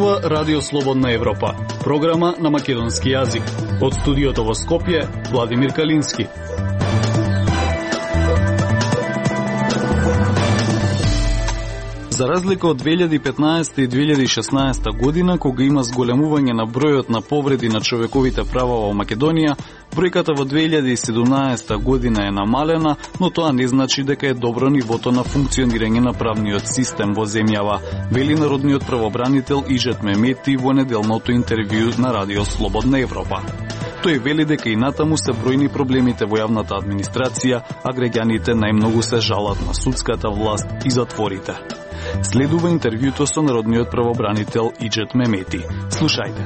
Зборува Радио Слободна Европа, програма на македонски јазик. Од студиото во Скопје, Владимир Калински. За разлика од 2015 и 2016 година, кога има зголемување на бројот на повреди на човековите права во Македонија, бројката во 2017 година е намалена, но тоа не значи дека е добро нивото на функционирање на правниот систем во земјава, вели народниот правобранител Иџет Мемети во неделното интервју на Радио Слободна Европа. Тој вели дека и натаму се бројни проблемите во јавната администрација, а граѓаните најмногу се жалат на судската власт и затворите. Следува интервјуто со народниот правобранител Иџет Мемети. Слушајте.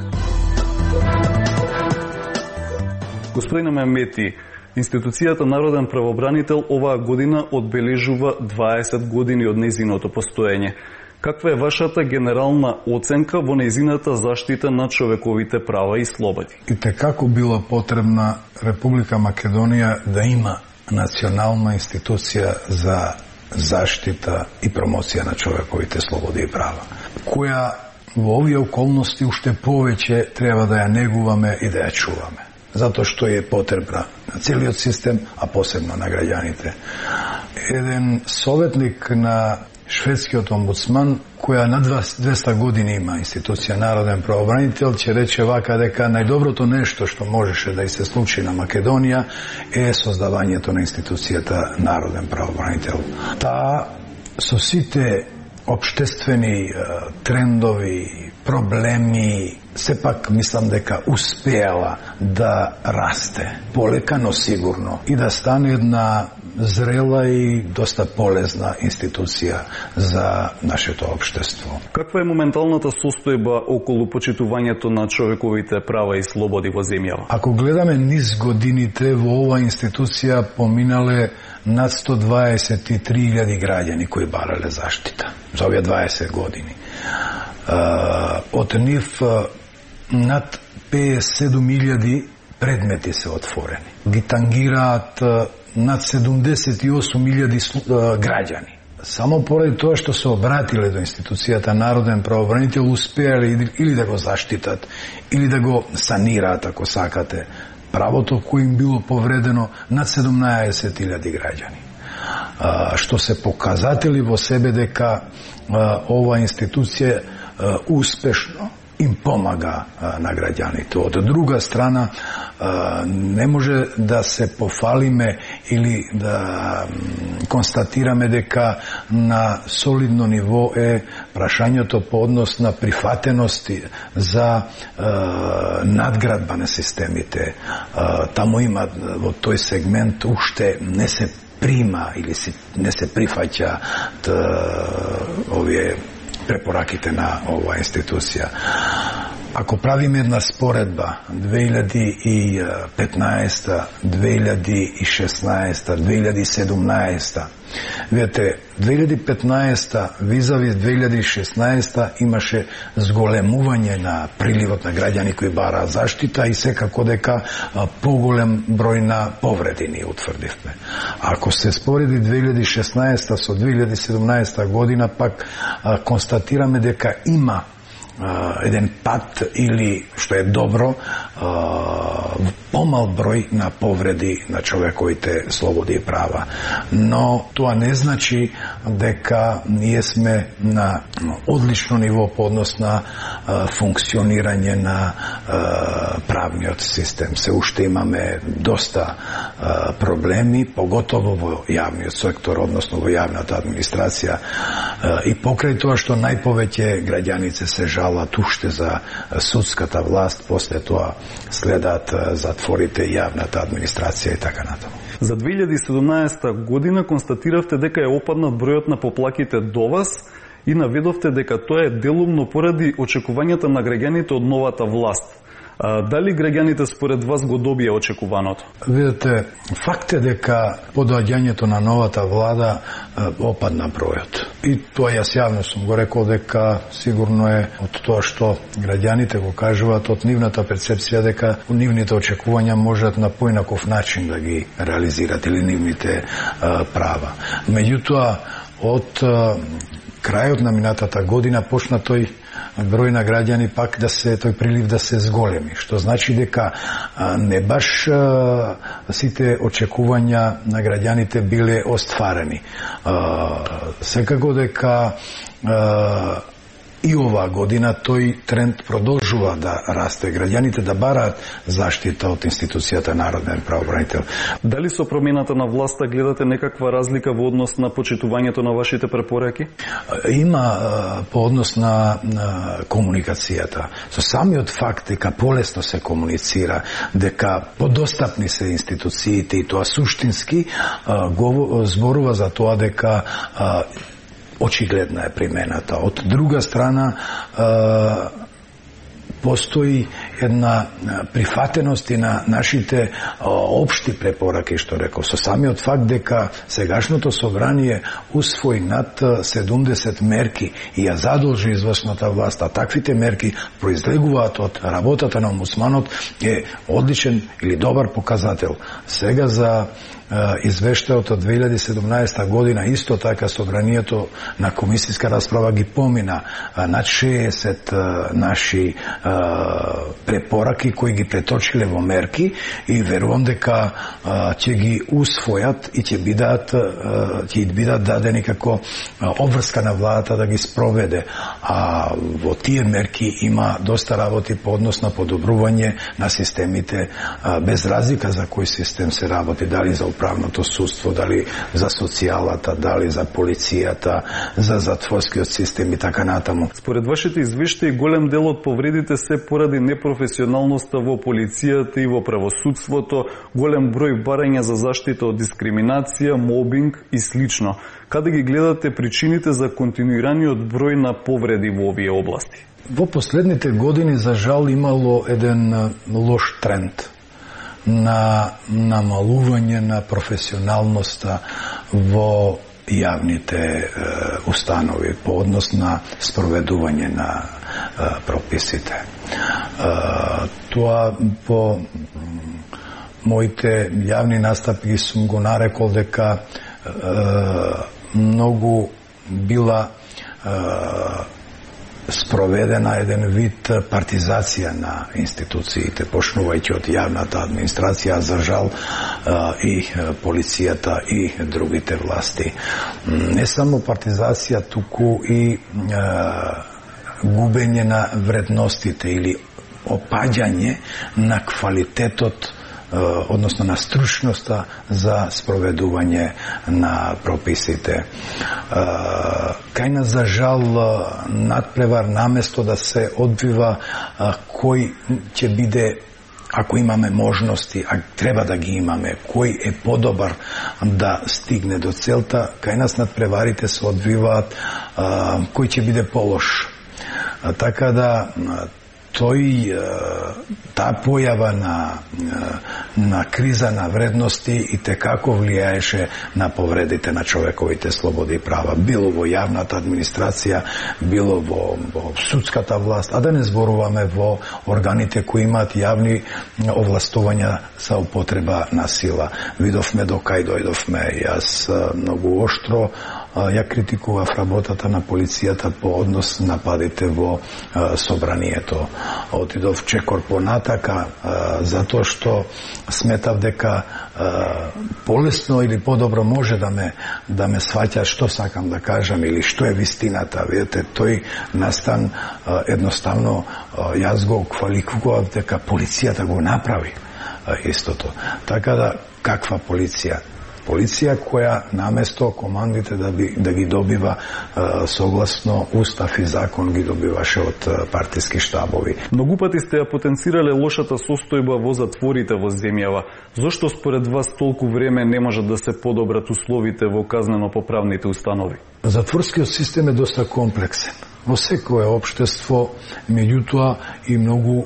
Господине Мемети, институцијата Народен правобранител оваа година одбележува 20 години од нејзиното постоење. Каква е вашата генерална оценка во нејзината заштита на човековите права и слободи? И како била потребна Република Македонија да има национална институција за заштита и промоција на човековите слободи и права, која во овие околности уште повеќе треба да ја негуваме и да ја чуваме, затоа што е потребна на целиот систем, а посебно на граѓаните. Еден советник на шведскиот омбудсман, која на 200 години има институција Народен правобранител, ќе рече вака дека најдоброто нешто што можеше да и се случи на Македонија е создавањето на институцијата Народен правобранител. Таа со сите општествени трендови, проблеми, сепак мислам дека успеала да расте полека, но сигурно и да стане една зрела и доста полезна институција за нашето општество. Каква е моменталната состојба околу почитувањето на човековите права и слободи во земјава? Ако гледаме низ годините, во оваа институција поминале над 123.000 граѓани кои барале заштита за овие 20 години. Од нив над 57.000 предмети се отворени. Ги тангираат над 78.000 граѓани. Само поради тоа што се обратиле до институцијата Народен правобранител, успеале или да го заштитат, или да го санираат, ако сакате, правото кој им било повредено над 17.000 граѓани. Што се показатели во себе дека ова институција успешно им помага на граѓаните. Од друга страна, не може да се пофалиме или да констатираме дека на солидно ниво е прашањето по однос на прифатености за надградба на системите. Таму има во тој сегмент уште не се прима или не се прифаќа овие препораките на оваа институција. Ако правиме една споредба 2015, 2016, 2017, видите, 2015 визави 2016 имаше зголемување на приливот на граѓани кои бараа заштита и секако дека поголем број на повреди ни утврдивме. Ако се спореди 2016 со 2017 година, пак констатираме дека има еден пат или, што е добро, помал број на повреди на човековите слободи и права. Но тоа не значи дека ние сме на одлично ниво по однос на функционирање на правниот систем. Се уште имаме доста проблеми, поготово во јавниот сектор, односно во јавната администрација, и покрај тоа што најповеќе граѓаници се жалат уште за судската власт, после тоа следат затворите, јавната администрација и така натаму. За 2017 година констатиравте дека е опаднат бројот на поплаките до вас и наведовте дека тоа е делумно поради очекувањата на граѓаните од новата власт. Дали граѓаните според вас го добија очекуваното? Видете, факт е дека по доаѓањето на новата влада опадна бројот. И тоа јас јавно сум го рекол дека сигурно е од тоа што граѓаните го кажуваат, од нивната перцепција дека нивните очекувања можат на поинаков начин да ги реализират или нивните права. Меѓутоа, од крајот на минатата година почна тој број на граѓани пак да се тој прилив да се зголеми, што значи дека не баш сите очекувања на граѓаните биле остварени. Секако дека и оваа година тој тренд продолжува да расте, граѓаните да бараат заштита од институцијата Народен правобранител. Дали со промената на власта гледате некаква разлика во однос на почитувањето на вашите препораки? Има по однос на комуникацијата. Со самиот факт дека полесно се комуницира, дека подостапни се институциите и тоа суштински зборува за тоа дека очигледна е примената. Од друга страна, постои една прифатеност и на нашите општи препораки, што реков, со самиот факт дека сегашното собрание усвои над 70 мерки и ја задолжи извршната власт, а таквите мерки произлегуваат од работата на омбудсманот, е одличен или добар показател. Сега за извештајот од 2017 година, исто така собранието на комисијска расправа ги помина над 60 наши препораки кои ги преточиле во мерки и верувам дека ќе ги усвојат и ќе бидат дадени како обврска на владата да ги спроведе. А во тие мерки има доста работи по однос на подобрување на системите, без разлика за кој систем се работи, дали за управното судство, дали за социјалата, дали за полицијата, за затворскиот систем и така натаму. Според вашите извештаи, голем дел од повредите се поради непрофесионалноста во полицијата и во правосудството, голем број барања за заштита од дискриминација, мобинг и слично. Каде ги гледате причините за континуираниот број на повреди во овие области? Во последните години, за жал, имало еден лош тренд на намалување на професионалноста во јавните установи по однос на спроведување на прописите. Тоа по моите јавни настапи сум го нарекол дека многу била спроведена еден вид партизација на институциите, почнувајќи од јавната администрација, за жал и полицијата и другите власти. Не само партизација, туку и губење на вредностите или опаѓање на квалитетот, односно на стручноста за спроведување на прописите. Кај нас, за жал, надпревар наместо да се одбива кој ќе биде, ако имаме можности, а треба да ги имаме, кој е подобар да стигне до целта, кај нас надпреварите се одбиваат кој ќе биде полош. Така да таа појава на криза на вредности и текако влијаеше на повредите на човековите слободи и права, било во јавната администрација, било во судската власт, а да не зборуваме во органите кои имаат јавни овластувања за употреба на сила. Видовме до кај дојдовме. Јас многу оштро ја критикував работата на полицијата по однос на нападите во собранието. Отидов чекор понатака, затоа што сметав дека полесно или подобро може да ме сваќа што сакам да кажам или што е вистината. Видете, тој настан едноставно јас го квалификував дека полицијата го направи истото. Така да, каква полиција? Полиција која наместо командите да ги добива согласно устав и закон ги добиваше од партиски штабови. Многу пати сте ја потенцирале лошата состојба во затворите во земјава. Зошто според вас толку време не можат да се подобрат условите во казнено-поправните установи? Затворскиот систем е доста комплексен. Во секое општество, меѓутоа и многу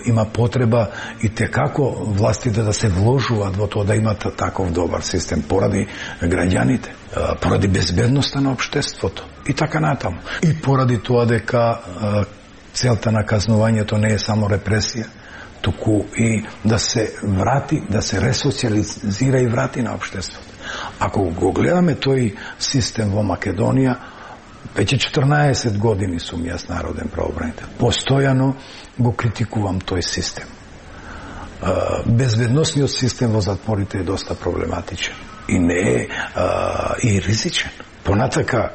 има потреба и текако властите да се вложуваат во тоа да имат таков добар систем поради граѓаните, поради безбедноста на општеството и така натаму. И поради тоа дека целта на казнувањето не е само репресија, туку и да се врати, да се ресоциализира и врати на општеството. Ако го гледаме тој систем во Македонија, Веќе 14 години сум јас народен правобранител. Постојано го критикувам тој систем. Безбедносниот систем во затворите е доста проблематичен и не е и ризичен. Понатака,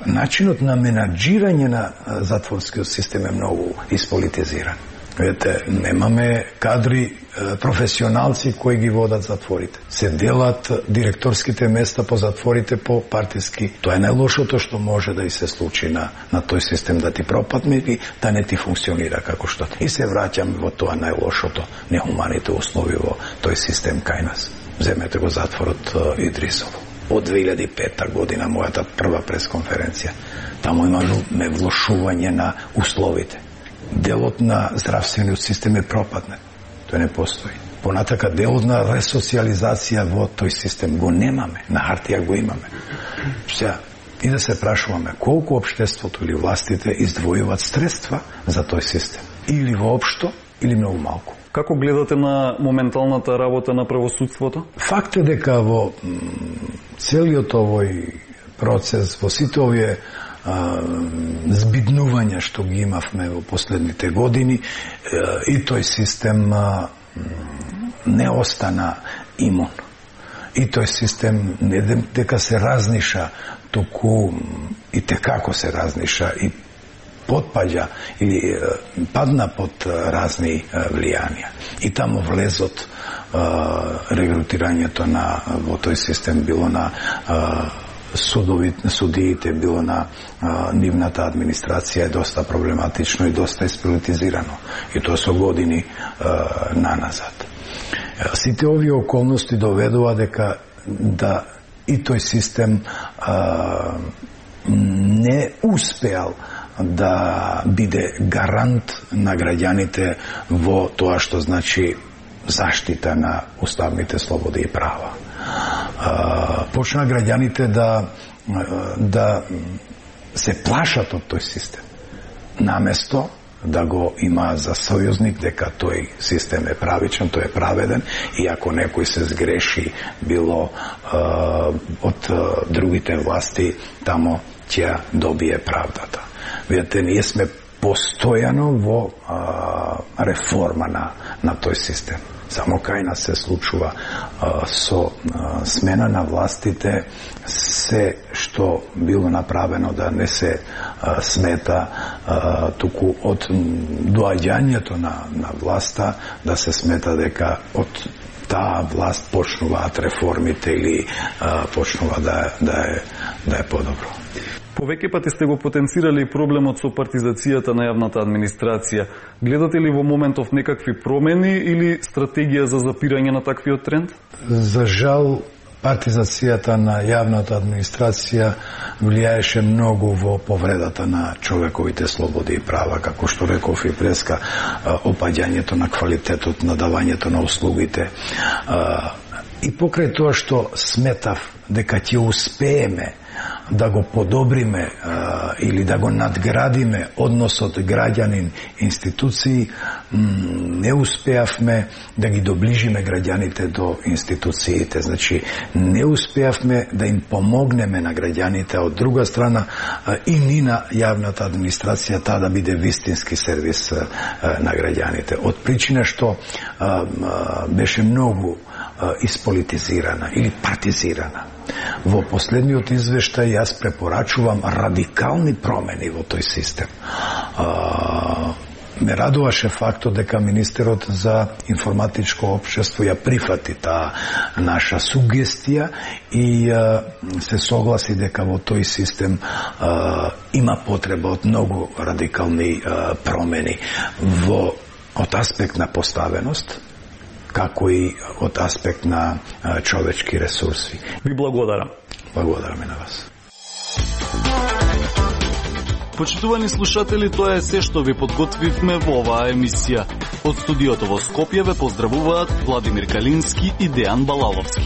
начинот на менаџирање на затворскиот систем е многу исполитизиран. Видите, немаме кадри, професионалци кои ги водат затворите. Се делат директорските места по затворите по партиски. Тоа е најлошото што може да и се случи на тој систем, да ти пропадне и да не ти функционира како што. И се враќаме во тоа најлошото, нехуманите услови во тој систем кај нас. Земете го затворот Идрисово. Од 2005 година, мојата прва пресконференција, таму имаме влошување на условите. Делот на здравствениот систем е пропаднат. Тој не постои. Понатака делот на ресоциализација во тој систем го немаме, на хартија го имаме. Сега, и да се прашуваме колку општеството или властите издвојуваат средства за тој систем. Или воопшто, или многу малку. Како гледате на моменталната работа на правосудството? Факт е дека во целиот овој процес, во сите овие збиднувања што ги имавме во последните години, и тој систем не остана имун. И тој систем не дека се разниша, туку и текако се разниша и потпаѓа или падна под разни влијанија. И таму влезот регрутирањето во тој систем било на судиите, било на нивната администрација е доста проблематично и доста исполитизирано. И тоа со години наназад. Сите овие околности доведува дека да и тој систем не успеал да биде гарант на граѓаните во тоа што значи заштита на уставните слободи и права. Почна граѓаните да се плашат од тој систем. Наместо да го има за сојузник дека тој систем е правичен, тој е праведен и ако некој се сгреши било од другите власти, тамо ќе добие правдата. Видете, ние сме постојано во реформа на тој систем. Само кај нас се случува со смена на властите се што било направено да не се смета, туку од доаѓањето на власта да се смета дека од таа власт почнуваат реформите или почнува да е подобро. Повеќе пати сте го потенцирали проблемот со партизацијата на јавната администрација. Гледате ли во моментов некакви промени или стратегија за запирање на таквиот тренд? За жал, партизацијата на јавната администрација влијаеше многу во повредата на човековите слободи и права, како што реков и преска, опаѓањето на квалитетот на давањето на услугите. И покрај тоа што сметав дека ќе успееме да го подобриме или да го надградиме односот граѓанин-институции, не успеавме да ги доближиме граѓаните до институциите. Значи, не успеавме да им помогнеме на граѓаните, од друга страна и ни на јавната администрација таа да биде вистински сервис на граѓаните. Од причина што беше многу исполитизирана или партизирана. Во последниот извештај јас препорачувам радикални промени во тој систем. Ме радуваше фактот дека министерот за информатичко општество ја прифати таа наша сугестија и се согласи дека во тој систем има потреба од многу радикални промени од аспект на поставеност, како и од аспект на човечки ресурси. Ви благодарам. Благодараме на вас. Почитувани слушатели, тоа е се што ви подготвивме во оваа емисија. Од студиото во Скопје ве поздравуваат Владимир Калински и Дејан Балаловски.